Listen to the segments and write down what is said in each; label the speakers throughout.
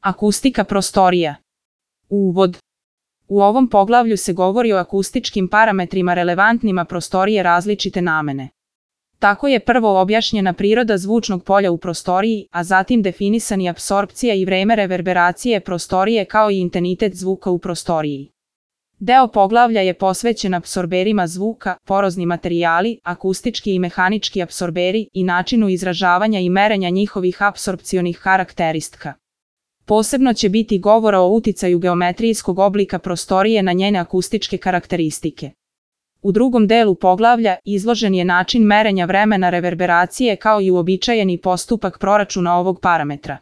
Speaker 1: Akustika prostorija. Uvod. U ovom poglavlju se govori o akustičkim parametrima relevantnima prostorije različite namene. Tako je prvo objašnjena priroda zvučnog polja u prostoriji, a zatim definisani apsorpcija i vreme reverberacije prostorije kao i intenzitet zvuka u prostoriji. Deo poglavlja je posvećen apsorberima zvuka, porozni materijali, akustički i mehanički apsorberi i načinu izražavanja i merenja njihovih apsorpcionih karakteristika. Posebno će biti govora o uticaju geometrijskog oblika prostorije na njene akustičke karakteristike. U drugom delu poglavlja izložen je način merenja vremena reverberacije kao i uobičajeni postupak proračuna ovog parametra.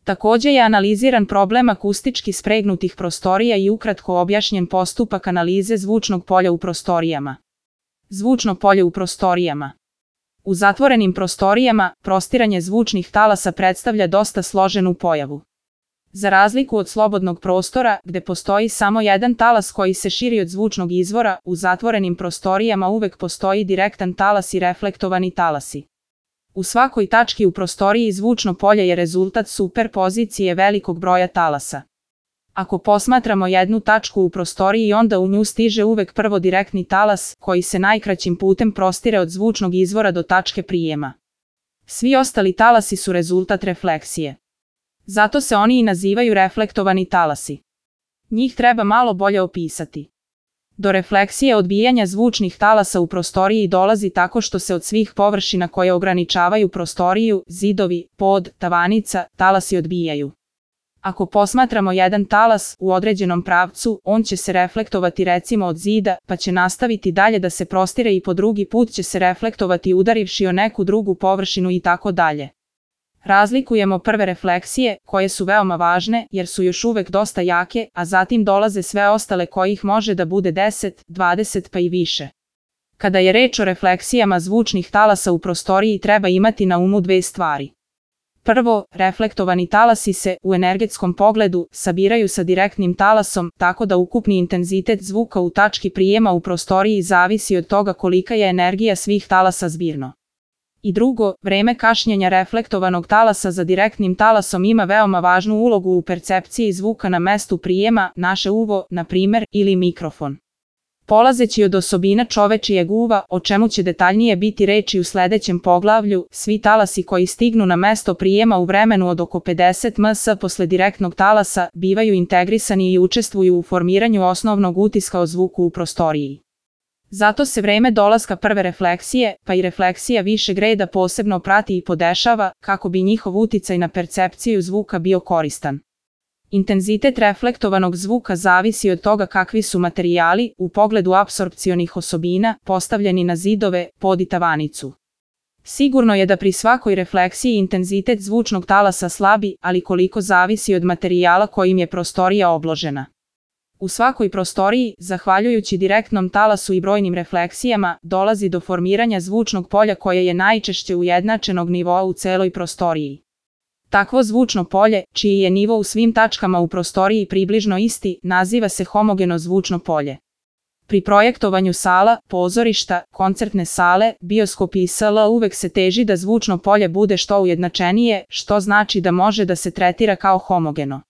Speaker 1: Takođe je analiziran problem akustički spregnutih prostorija i ukratko objašnjen postupak analize zvučnog polja u prostorijama. Zvučno polje u prostorijama. U zatvorenim prostorijama prostiranje zvučnih talasa predstavlja dosta složenu pojavu. Za razliku od slobodnog prostora, gde postoji samo jedan talas koji se širi od zvučnog izvora, u zatvorenim prostorijama uvek postoji direktan talas i reflektovani talasi. U svakoj tački u prostoriji zvučno polje je rezultat superpozicije velikog broja talasa. Ako posmatramo jednu tačku u prostoriji, onda u nju stiže uvek prvo direktni talas, koji se najkraćim putem prostire od zvučnog izvora do tačke prijema. Svi ostali talasi su rezultat refleksije. Zato se oni i nazivaju reflektovani talasi. Njih treba malo bolje opisati. Do refleksije odbijanja zvučnih talasa u prostoriji dolazi tako što se od svih površina koje ograničavaju prostoriju, zidovi, pod, tavanica, talasi odbijaju. Ako posmatramo jedan talas u određenom pravcu, on će se reflektovati recimo od zida, pa će nastaviti dalje da se prostire i po drugi put će se reflektovati udarivši o neku drugu površinu i tako dalje. Razlikujemo prve refleksije, koje su veoma važne jer su još uvek dosta jake, a zatim dolaze sve ostale kojih može da bude 10, 20 pa i više. Kada je reč o refleksijama zvučnih talasa u prostoriji treba imati na umu dve stvari. Prvo, reflektovani talasi se, u energetskom pogledu, sabiraju sa direktnim talasom, tako da ukupni intenzitet zvuka u tački prijema u prostoriji zavisi od toga kolika je energija svih talasa zbirno. I drugo, vreme kašnjenja reflektovanog talasa za direktnim talasom ima veoma važnu ulogu u percepciji zvuka na mestu prijema, naše uvo, na primer, ili mikrofon. Polazeći od osobina čovečijeg uva, o čemu će detaljnije biti reči u sledećem poglavlju, svi talasi koji stignu na mesto prijema u vremenu od oko 50 ms posle direktnog talasa bivaju integrisani i učestvuju u formiranju osnovnog utiska o zvuku u prostoriji. Zato se vreme dolaska prve refleksije, pa i refleksija višeg reda posebno prati i podešava, kako bi njihov uticaj na percepciju zvuka bio koristan. Intenzitet reflektovanog zvuka zavisi od toga kakvi su materijali, u pogledu apsorpcionih osobina, postavljeni na zidove, pod i tavanicu. Sigurno je da pri svakoj refleksiji intenzitet zvučnog talasa slabi, ali koliko zavisi od materijala kojim je prostorija obložena. U svakoj prostoriji, zahvaljujući direktnom talasu i brojnim refleksijama, dolazi do formiranja zvučnog polja koje je najčešće ujednačenog nivoa u celoj prostoriji. Takvo zvučno polje, čiji je nivo u svim tačkama u prostoriji približno isti, naziva se homogeno zvučno polje. Pri projektovanju sala, pozorišta, koncertne sale, bioskopi i sl. Uvek se teži da zvučno polje bude što ujednačenije, što znači da može da se tretira kao homogeno.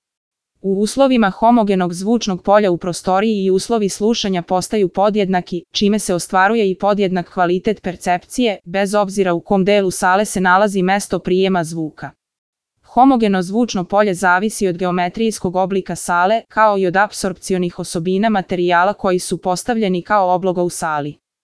Speaker 1: U uslovima homogenog zvučnog polja u prostoriji i uslovi slušanja postaju podjednaki, čime se ostvaruje i podjednak kvalitet percepcije, bez obzira u kom delu sale se nalazi mesto prijema zvuka. Homogeno zvučno polje zavisi od geometrijskog oblika sale, kao i od apsorpcionih osobina materijala koji su postavljeni kao obloga u sali.